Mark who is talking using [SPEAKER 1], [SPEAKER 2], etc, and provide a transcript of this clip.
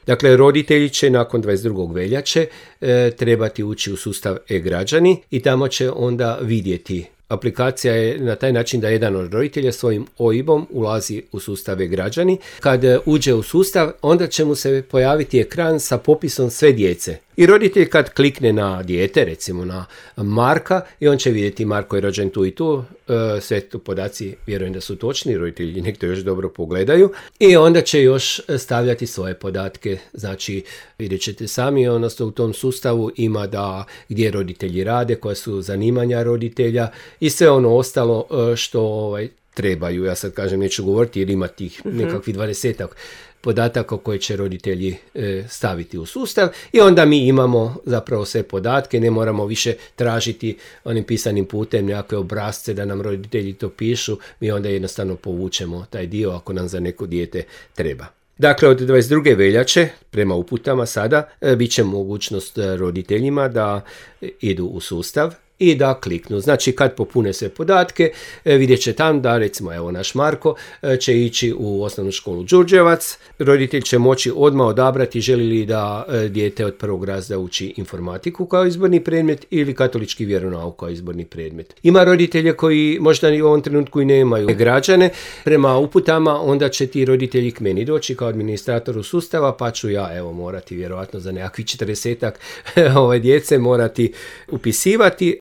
[SPEAKER 1] Dakle, roditelji će nakon 22. veljače trebati ući u sustav e-građani i tamo će onda vidjeti. Aplikacija je na taj način da jedan od roditelja svojim OIB-om ulazi u sustav e-građani. Kad uđe u sustav, onda će mu se pojaviti ekran sa popisom sve djece. I roditelj kad klikne na dijete, recimo na Marka, i on će vidjeti Marko je rođen tu i tu, sve tu podaci vjerujem da su točni, roditelji nek to još dobro pogledaju, i onda će još stavljati svoje podatke, znači vidjet ćete sami, odnosno u tom sustavu ima da gdje roditelji rade, koja su zanimanja roditelja i sve ono ostalo što trebaju. Ja sad kažem, neću govoriti jer ima tih nekakvih 20 podataka koje će roditelji staviti u sustav i onda mi imamo zapravo sve podatke, ne moramo više tražiti onim pisanim putem nekakve obrasce da nam roditelji to pišu, mi onda jednostavno povučemo taj dio ako nam za neko dijete treba. Dakle, od 22. veljače, prema uputama sada, bit će mogućnost roditeljima da idu u sustav i da kliknu. Znači, kad popune sve podatke, vidjet će tam da, recimo, evo naš Marko će ići u osnovnu školu Đurđevac. Roditelj će moći odmah odabrati želi li da dijete od prvog razreda uči informatiku kao izborni predmet ili katolički vjeronauk kao izborni predmet. Ima roditelje koji možda u ovom trenutku i nemaju građane. Prema uputama onda će ti roditelji k meni doći kao administratoru sustava, pa ću ja morati vjerojatno za nekakvih 40-ak djece morati upisivati.